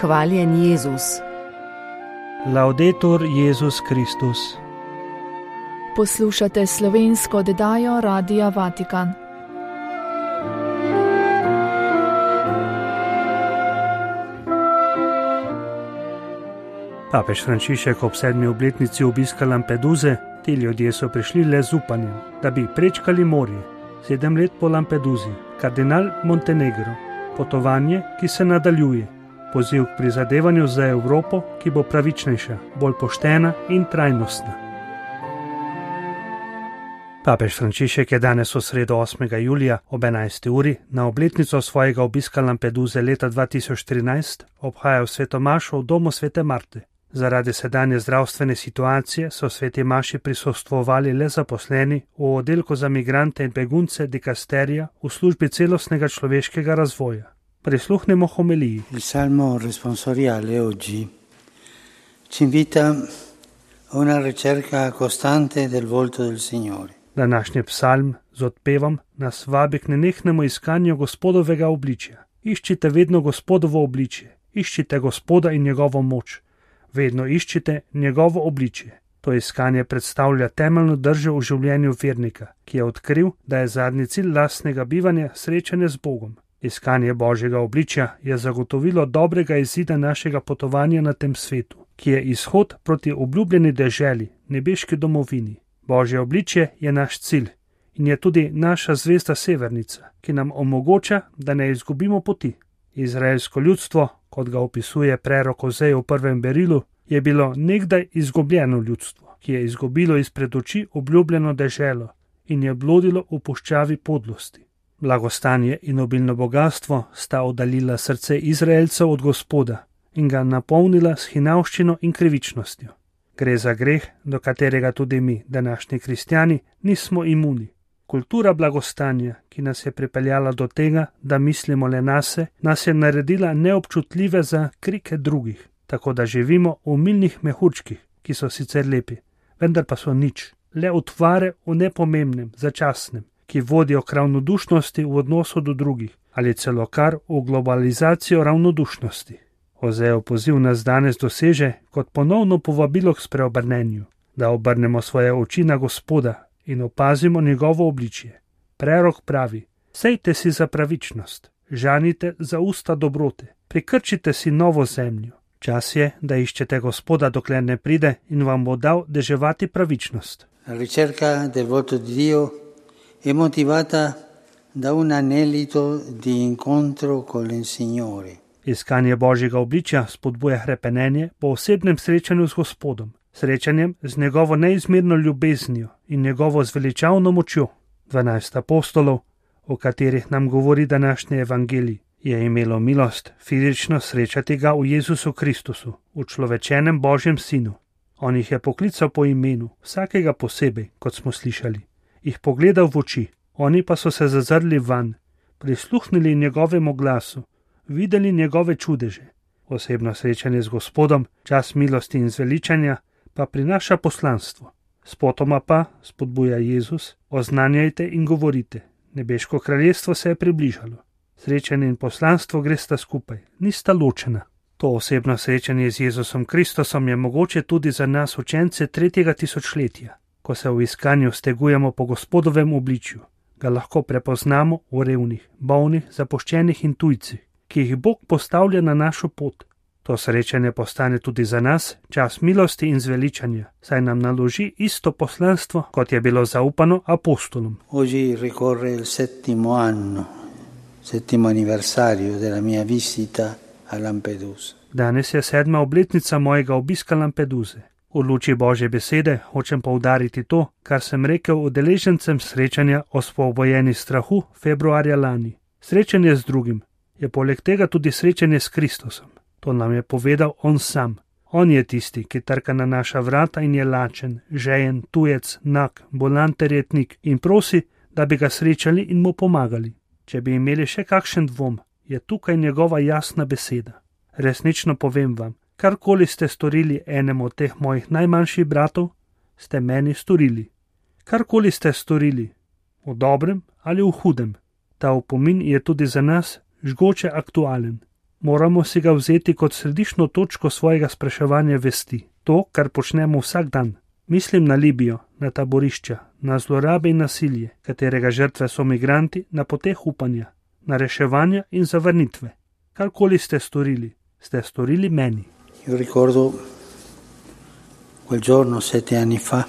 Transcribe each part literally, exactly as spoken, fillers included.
Hvaljen Jezus. Laudetur Jezus Kristus. Poslušate slovensko oddajo Radia Vatikan. Papež Frančišek ob sedmi obletnici obiska Lampeduze, ti ljudje so prišli le z upanjem, da bi prečkali morje. Sedem let po Lampeduzi, kardinal Montenegro, potovanje, ki se nadaljuje, poziv k prizadevanju za Evropo, ki bo pravičnejša, bolj poštena in trajnostna. Papež Frančišek je danes v sredo osmega julija ob enajsti uri na obletnico svojega obiska Lampeduze leta dva tisoč trinajst obhajal sveto mašo v domu svete Marte. Zaradi sedanje zdravstvene situacije so sveti maši prisostvovali le zaposleni v oddelku za migrante in begunce dikasterija v službi celostnega človeškega razvoja. Prisluhnemo homiliji. Il salmo responsoriale oggi ci invita a una ricerca costante del volto del Signore. Današnji psalm z odpevom nas vabi k nenehnemu iskanju Gospodovega obličja. Iščite vedno Gospodovo obličje, iščite Gospoda in njegovo moč. Vedno iščite njegovo obličje. To iskanje predstavlja temeljno držo v življenju vernika, ki je odkril, da je zadnji cilj lastnega bivanja srečanje z Bogom. Iskanje Božjega obličja je zagotovilo dobrega izida našega potovanja na tem svetu, ki je izhod proti obljubljeni deželi, nebeški domovini. Božje obličje je naš cilj in je tudi naša zvezda severnica, ki nam omogoča, da ne izgubimo poti. Izraelsko ljudstvo, kot ga opisuje prerok Ozej v prvem berilu, je bilo nekdaj izgubljeno ljudstvo, ki je izgubilo izpred oči obljubljeno deželo in je blodilo v puščavi podlosti. Blagostanje in obilno bogastvo sta oddaljila srce Izraelcev od Gospoda in ga napolnila s hinavščino in krivičnostjo. Gre za greh, do katerega tudi mi, današnji kristjani, nismo imuni. Kultura blagostanja, ki nas je pripeljala do tega, da mislimo le nase, nas je naredila neobčutljive za krike drugih, tako da živimo v milnih mehurčkih, ki so sicer lepi, vendar pa so nič, le utvare v nepomembnem, začasnem, ki vodijo k ravnodušnosti v odnosu do drugih ali celo kar v globalizacijo ravnodušnosti. Ozejev poziv nas danes doseže kot ponovno povabilo k spreobrnenju, da obrnemo svoje oči na Gospoda in opazimo njegovo obličje. Prerok pravi: sejte si za pravičnost, žanite za usta dobrote, prikrčite si novo zemljo. Čas je, da iščete Gospoda, dokler ne pride in vam bo dal deževati pravičnost. La ricerca del volto di Dio è motivata da un anelito di incontro con il Signore. Iskanje Božjega obličja spodbuja hrepenenje po osebnem srečanju z Gospodom, srečanjem z njegovo neizmerno ljubeznijo in njegovo zveličavno močjo. Dvanajst apostolov, o katerih nam govori današnji evangelij, je imelo milost fizično srečati ga v Jezusu Kristusu, v človečenem Božjem sinu. On jih je poklical po imenu, vsakega posebej, kot smo slišali, jih pogledal v oči, oni pa so se zazrli vanj, prisluhnili njegovemu glasu, videli njegove čudeže. Osebno srečanje z Gospodom, čas milosti in zveličanja, pa prinaša poslanstvo. Spotoma pa, spodbuja Jezus, oznanjajte in govorite, nebeško kraljestvo se je približalo. Srečanje in poslanstvo gresta skupaj, nista ločena. To osebno srečanje z Jezusom Kristusom je mogoče tudi za nas učence tretjega tisočletja. Ko se v iskanju stegujemo po Gospodovem obličju, ga lahko prepoznamo v revnih, bolnih, zapuščenih in tujcih, ki jih Bog postavlja na našo pot. To srečanje postane tudi za nas čas milosti in zveličanja, saj nam naloži isto poslanstvo, kot je bilo zaupano apostolom. Oggi ricorre il settimo anno, settimo anniversario della mia visita a Lampedusa. Danes je sedma obletnica mojega obiska Lampeduze. V luči Božje besede hočem poudariti to, kar sem rekel udeležencem srečanja o osvobojeni strahu februarja lani. Srečanje z drugim je poleg tega tudi srečanje s Kristusom. To nam je povedal on sam. On je tisti, ki trka na naša vrata in je lačen, žejen, tujec, nag, bolan ter jetnik in prosi, da bi ga srečali in mu pomagali. Če bi imeli še kakšen dvom, je tukaj njegova jasna beseda. Resnično povem vam, karkoli ste storili enemu od teh mojih najmanjših bratov, ste meni storili. Karkoli ste storili, v dobrem ali v hudem, ta opomin je tudi za nas žgoče aktualen. Moramo si ga vzeti kot središčno točko svojega spraševanja vesti, to, kar počnemo vsak dan. Mislim na Libijo, na taborišča, na zlorabe in nasilje, katerega žrtve so migranti na poteh upanja, na reševanja in zavrnitve. Karkoli ste storili, ste storili meni. Io ricordo quel giorno sette anni fa,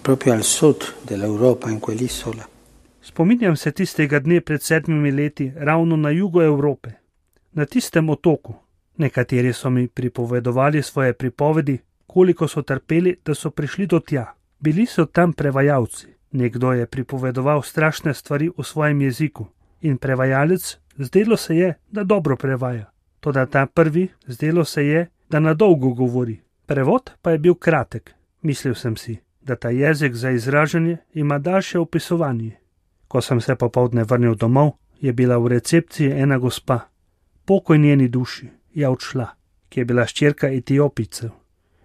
proprio al sud dell'Europa, in quell'isola. Spominjam se tistega dne pred sedmimi leti ravno na jugu Evrope, na tistem otoku. Nekateri so mi pripovedovali svoje pripovedi, koliko so trpeli, da so prišli do tja. Bili so tam prevajalci. Nekdo je pripovedoval strašne stvari v svojem jeziku in prevajalec, zdelo se je, da dobro prevaja. Toda ta prvi, zdelo se je, da na dolgo govori. Prevod pa je bil kratek. Mislil sem si, da ta jezik za izražanje ima daljše opisovanje. Ko sem se popoldne vrnil domov, je bila v recepciji ena gospa. Pokoj njeni duši je odšla, ki je bila hčerka Etiopijcev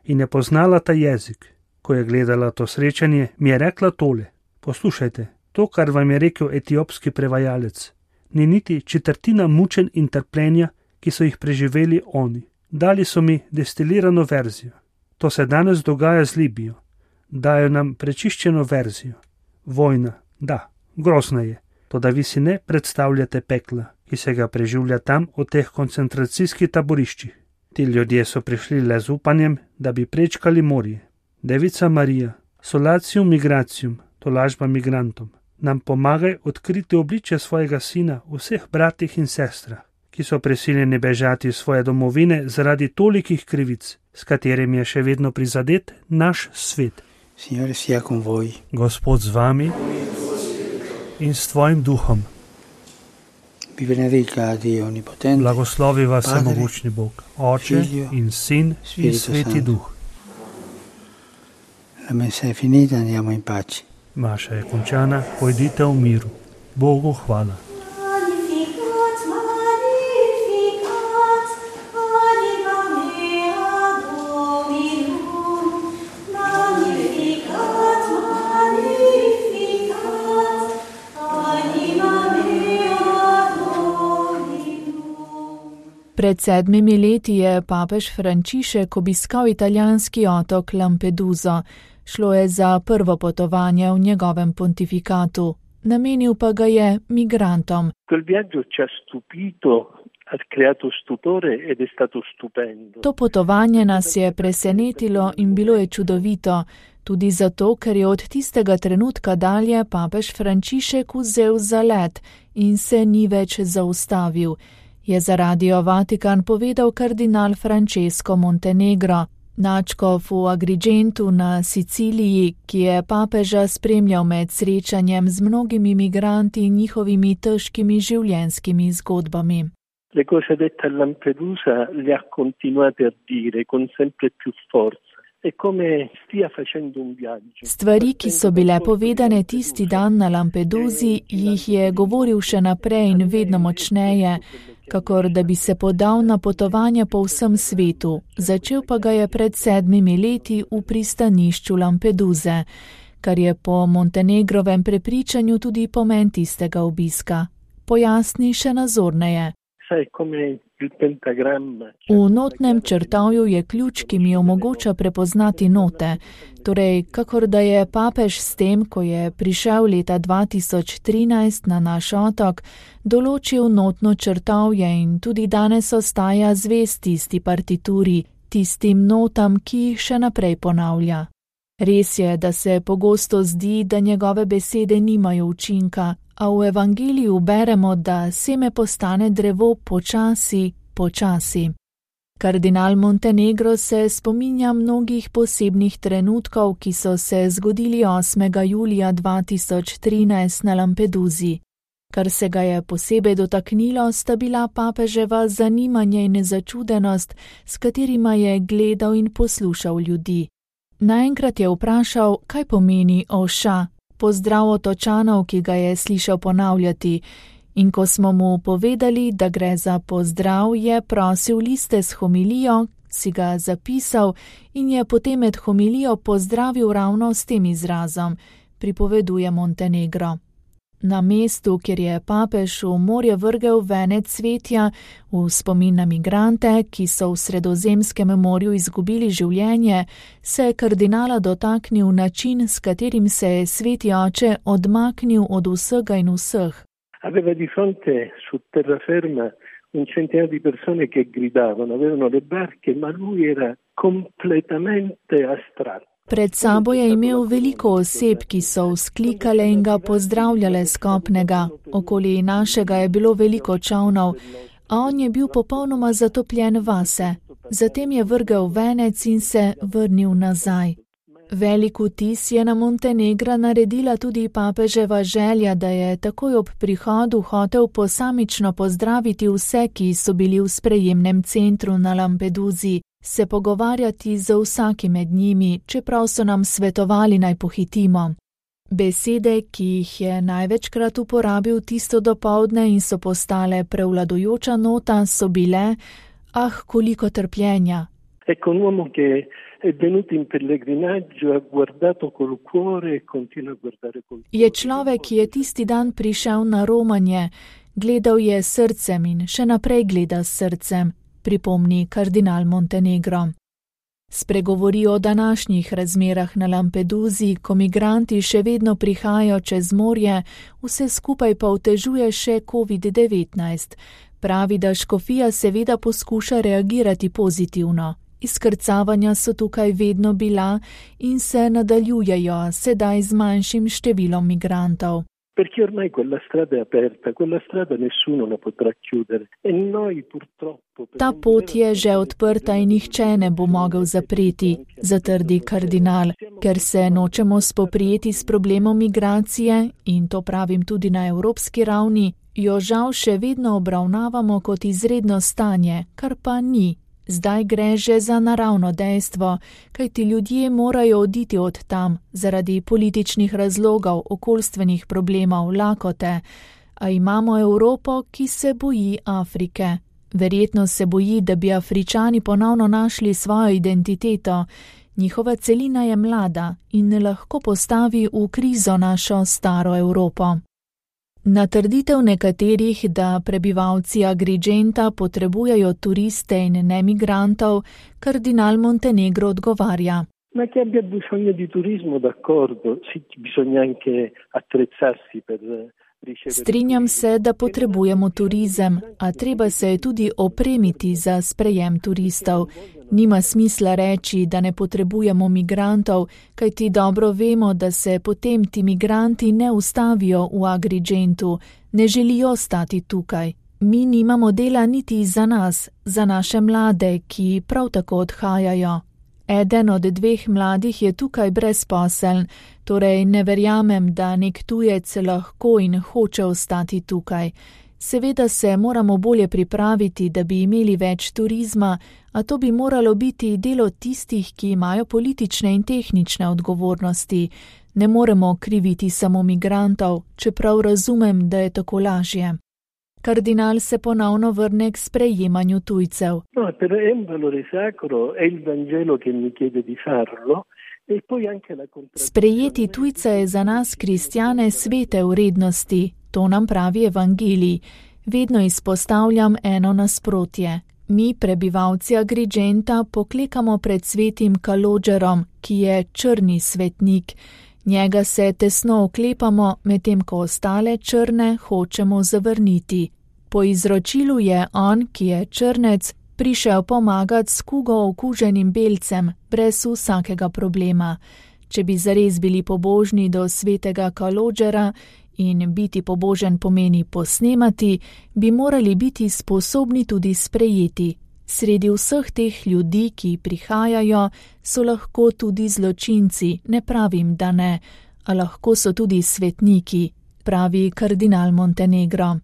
in je poznala ta jezik. Ko je gledala to srečanje, mi je rekla tole: poslušajte, to, kar vam je rekel etiopski prevajalec, ni niti četrtina mučenj in trpljenja, ki so jih preživeli oni. Dali so mi destilirano verzijo. To se danes dogaja z Libijo. Dajo nam prečiščeno verzijo. Vojna, da, grozna je, toda vi si ne predstavljate pekla, ki se ga preživlja tam v teh koncentracijskih taboriščih. Ti ljudje so prišli le z upanjem, da bi prečkali morje. Devica Marija, solacium migracium, tolažba migrantom, nam pomagaj odkriti obličje svojega sina vseh bratih in sestrah, ki so prisiljeni bežati iz svoje domovine zaradi tolikih krivic, s katerimi je še vedno prizadet naš svet. Signore sia con voi. Gospod z vami in s tvojim duhom. Vi benedica Dio onnipotente. Blagoslovi vas Padre, vsemogočni Bog, Oče Figlio, in Sin in Spirito Sveti Santo. Duh. La messa è finita, andiamo in pace. Maša je končana, pojdite v miru. Bogu hvala. Magnificat, magnificat, anima mea Dominum. Magnificat, magnificat, anima mea Dominum. Pred sedmimi leti je papež Frančišek obiskal italijanski otok Lampeduso. Šlo je za prvo potovanje v njegovem pontifikatu. Namenil pa ga je migrantom. Quel viaggio ci ha stupito, ha creato stupore ed è stato stupendo. To potovanje nas je presenetilo in bilo je čudovito, tudi zato, ker je od tistega trenutka dalje papež Frančišek vzel zalet in se ni več zaustavil, je za Radio Vatikan povedal kardinal Francesco Montenegro, nadškof v Agrigentu na Siciliji, ki je papeža spremljal med srečanjem z mnogimi migranti in njihovimi težkimi življenjskimi zgodbami. Le cose dette a Lampedusa le ha continuate a dire con sempre più forza. È come stia facendo un viaggio. Stvari, ki so bile povedane tisti dan na Lampedusi, jih je govoril še naprej in vedno močneje, kakor da bi se podal na potovanje po vsem svetu. Začel pa ga je pred sedmimi leti v pristanišču Lampeduse, kar je po Montenegrovem prepričanju tudi pomen tistega obiska. Pojasni še nazorneje. V notnem črtavju je ključ, ki mi omogoča prepoznati note, torej kakor da je papež s tem, ko je prišel leta dva tisoč trinajst na naš otok, določil notno črtavje in tudi danes ostaja zvest tisti partituri, tistim notam, ki jih še naprej ponavlja. Res je, da se pogosto zdi, da njegove besede nimajo učinka, a v evangeliju beremo, da seme postane drevo počasi, počasi. Kardinal Montenegro se spominja mnogih posebnih trenutkov, ki so se zgodili osmega julija dva tisoč trinajst na Lampedusi. Kar se ga je posebej dotaknilo, sta bila papeževa zanimanje in začudenost, s katerima je gledal in poslušal ljudi. Naenkrat je vprašal, kaj pomeni oša, pozdrav otočanov, ki ga je slišal ponavljati, in ko smo mu povedali, da gre za pozdrav, je prosil liste s homilijo, si ga zapisal in je potem med homilijo pozdravil ravno s tem izrazom, pripoveduje Montenegro. Na mestu, kjer je papež v morje vrgel venec cvetja v spomin na migrante, ki so v Sredozemskem morju izgubili življenje, se je kardinala dotaknil način, s katerim se je sveti oče odmaknil od vsega in vseh. Aveva di fronte su terraferma un centinaio di persone che gridavano, avevano le barche, ma lui era completamente astratto. Pred sabo je imel veliko oseb, ki so vzklikale in ga pozdravljale z kopnega. Okoli našega je bilo veliko čavnov, a on je bil popolnoma zatopljen vase. Zatem je vrgel venec in se vrnil nazaj. Velik vtis je na Montenegra naredila tudi papeževa želja, da je takoj ob prihodu hotel posamično pozdraviti vse, ki so bili v sprejemnem centru na Lampeduzi, se pogovarjati z vsakim med njimi, čeprav so nam svetovali naj pohitimo. Besede, ki jih je največkrat uporabil tisto dopoldne in so postale prevladujoča nota, so bile: ah, koliko trpljenja. Ecco un uomo che è venuto in pellegrinaggio, ha guardato col cuore e continua a guardare col cuore. Je človek, ki je tisti dan prišel na romanje, gledal je srcem in še naprej gleda s srcem, pripomni kardinal Montenegro. Spregovori o današnjih razmerah na Lampeduzi, ko migranti še vedno prihajajo čez morje, vse skupaj pa otežuje še covid devetnajst. Pravi, da škofija seveda poskuša reagirati pozitivno. Izkrcavanja so tukaj vedno bila in se nadaljujejo, sedaj z manjšim številom migrantov. Perché ormai quella strada è aperta, quella strada nessuno la potrà chiudere e noi purtroppo... Ta pot je že odprta in nihče ne bo mogel zapreti, zatrdi kardinal, ker se nočemo spoprijeti s problemom migracije, in to pravim tudi na evropski ravni, jo žal še vedno obravnavamo kot izredno stanje, kar pa ni. Zdaj gre že za naravno dejstvo, kajti ljudje morajo oditi od tam zaradi političnih razlogov, okoljstvenih problemov, lakote, a imamo Evropo, ki se boji Afrike. Verjetno se boji, da bi Afričani ponovno našli svojo identiteto. Njihova celina je mlada in ne lahko postavi v krizo našo staro Evropo. Na trditev nekaterih, da prebivalci Agrigenta potrebujejo turiste in ne migrantov, kardinal Montenegro odgovarja. Ma che abbia bisogno di turismo, d'accordo, sì, bisogna anche attrezzarsi per ricevere. Strinjam se, da potrebujemo turizem, a treba se je tudi opremiti za sprejem turistov. Nima smisla reči, da ne potrebujemo migrantov, kajti dobro vemo, da se potem ti migranti ne ustavijo v Agrigentu, ne želijo stati tukaj. Mi nimamo dela niti za nas, za naše mlade, ki prav tako odhajajo. Eden od dveh mladih je tukaj brezposeln, torej ne verjamem, da nek tujec lahko in hoče ostati tukaj. Seveda se moramo bolje pripraviti, da bi imeli več turizma, a to bi moralo biti delo tistih, ki imajo politične in tehnične odgovornosti. Ne moremo kriviti samo migrantov, čeprav razumem, da je tako lažje. Kardinal se ponovno vrne k sprejemanju tujcev. No, però è un valore sacro, è il Vangelo che mi chiede di farlo. E poi anche la Sprejeti tujca je za nas kristjane svete vrednosti, to nam pravi evangelij. Vedno izpostavljam eno nasprotje. Mi, prebivalci Agrigenta, poklekamo pred svetim Kalodžerom, ki je črni svetnik. Njega se tesno oklepamo, medtem ko ostale črne hočemo zavrniti. Po izročilu je on, ki je črnec, prišel pomagati s kugo okuženim belcem, brez vsakega problema. Če bi zares bili pobožni do svetega Kalodžera, in biti pobožen pomeni posnemati, bi morali biti sposobni tudi sprejeti. Sredi vseh teh ljudi, ki prihajajo, so lahko tudi zločinci, ne pravim, da ne, a lahko so tudi svetniki, pravi kardinal Montenegro.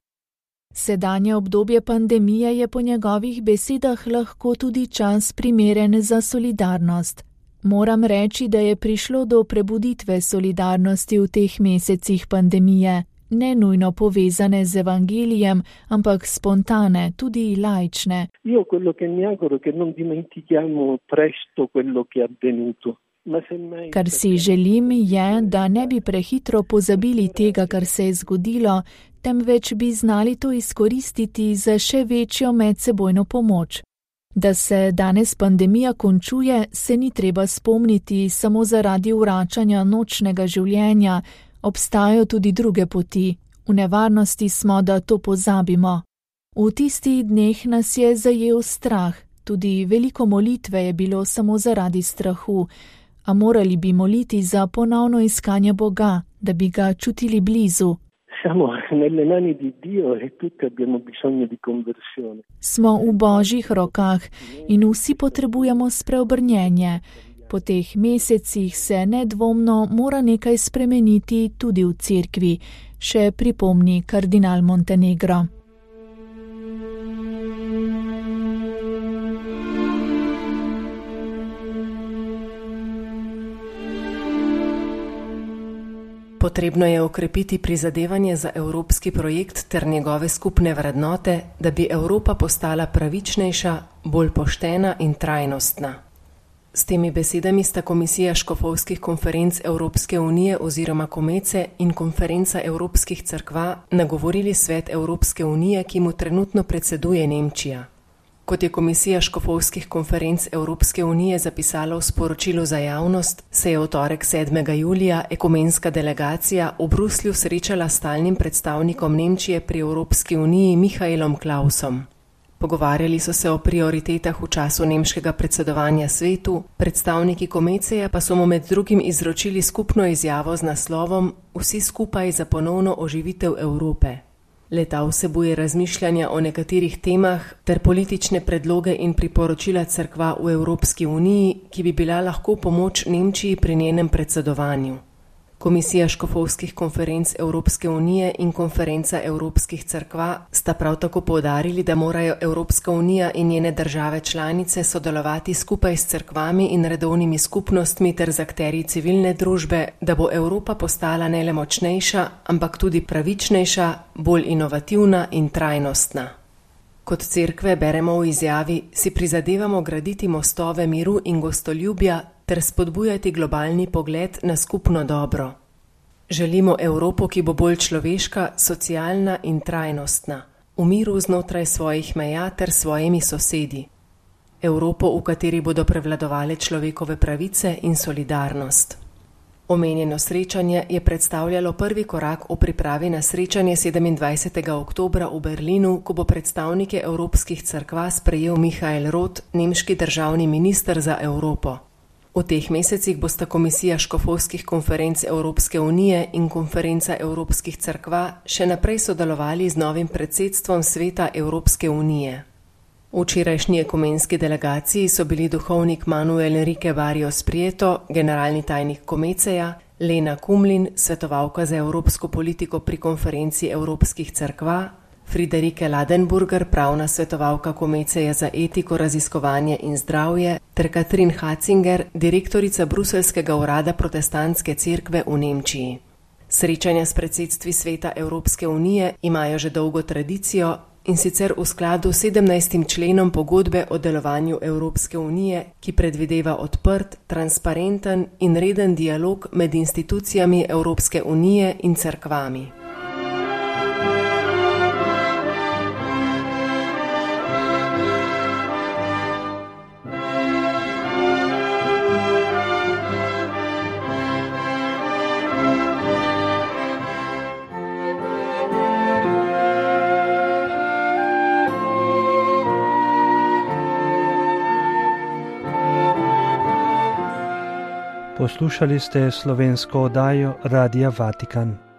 Sedanje obdobje pandemije je po njegovih besedah lahko tudi čas primeren za solidarnost. Moram reči, da je prišlo do prebuditve solidarnosti v teh mesecih pandemije, ne nujno povezane z evangelijem, ampak spontane, tudi laične. Io quello che mi auguro che non dimentichiamo presto quello che è avvenuto. Kar si želim, je, da ne bi prehitro pozabili tega, kar se je zgodilo, temveč bi znali to izkoristiti za še večjo medsebojno pomoč. Da se danes pandemija končuje, se ni treba spomniti samo zaradi vračanja nočnega življenja, obstajajo tudi druge poti. V nevarnosti smo, da to pozabimo. V tistih dneh nas je zajel strah, tudi veliko molitve je bilo samo zaradi strahu, a morali bi moliti za ponovno iskanje Boga, da bi ga čutili blizu. Smo v Božjih rokah in vsi potrebujemo spreobrnjenje. Po teh mesecih se nedvomno mora nekaj spremeniti tudi v cerkvi, še pripomni kardinal Montenegro. Potrebno je okrepiti prizadevanje za evropski projekt ter njegove skupne vrednote, da bi Evropa postala pravičnejša, bolj poštena in trajnostna. S temi besedami sta Komisija škofovskih konferenc Evropske unije oziroma Komece in Konferenca evropskih cerkva nagovorili svet Evropske unije, ki mu trenutno predseduje Nemčija. Kot je Komisija škofovskih konferenc Evropske unije zapisala v sporočilu za javnost, se je v torek sedmega julija ekumenska delegacija v Bruslju srečala s stalnim predstavnikom Nemčije pri Evropski uniji Michaelom Klausom. Pogovarjali so se o prioritetah v času nemškega predsedovanja svetu, predstavniki Komeceja pa so mu med drugim izročili skupno izjavo z naslovom Vsi skupaj za ponovno oživitev Evrope. Leta vsebuje razmišljanja o nekaterih temah ter politične predloge in priporočila cerkva v Evropski uniji, ki bi bila lahko pomoč Nemčiji pri njenem predsedovanju. Komisija škofovskih konferenc Evropske unije in Konferenca evropskih cerkva sta prav tako poudarili, da morajo Evropska unija in njene države članice sodelovati skupaj s cerkvami in redovnimi skupnostmi ter z akterji civilne družbe, da bo Evropa postala ne le močnejša, ampak tudi pravičnejša, bolj inovativna in trajnostna. Kot cerkve beremo v izjavi, si prizadevamo graditi mostove miru in gostoljubja ter spodbujati globalni pogled na skupno dobro. Želimo Evropo, ki bo bolj človeška, socialna in trajnostna, v miru znotraj svojih meja ter svojimi sosedi. Evropo, v kateri bodo prevladovale človekove pravice in solidarnost. Omenjeno srečanje je predstavljalo prvi korak v pripravi na srečanje sedemindvajsetega oktobra v Berlinu, ko bo predstavnike evropskih cerkva sprejel Michael Roth, nemški državni minister za Evropo. V teh mesecih bosta Komisija škofovskih konferenc Evropske unije in Konferenca evropskih cerkva še naprej sodelovali z novim predsedstvom Sveta Evropske unije. V včerajšnji ekumenski delegaciji so bili duhovnik Manuel Enrique Barrios Prieto, generalni tajnik Komeceja, Lena Kumlin, svetovalka za evropsko politiko pri Konferenci evropskih cerkva, Friederike Ladenburger, pravna svetovalka Komeceja za etiko, raziskovanje in zdravje, ter Katrin Hatzinger, direktorica Bruselskega urada protestantske cerkve v Nemčiji. Srečanja s predsedstvi Sveta Evropske unije imajo že dolgo tradicijo, in sicer v skladu s sedemnajstim členom pogodbe o delovanju Evropske unije, ki predvideva odprt, transparenten in reden dialog med institucijami Evropske unije in cerkvami. Poslušali ste slovensko oddajo Radia Vatikan.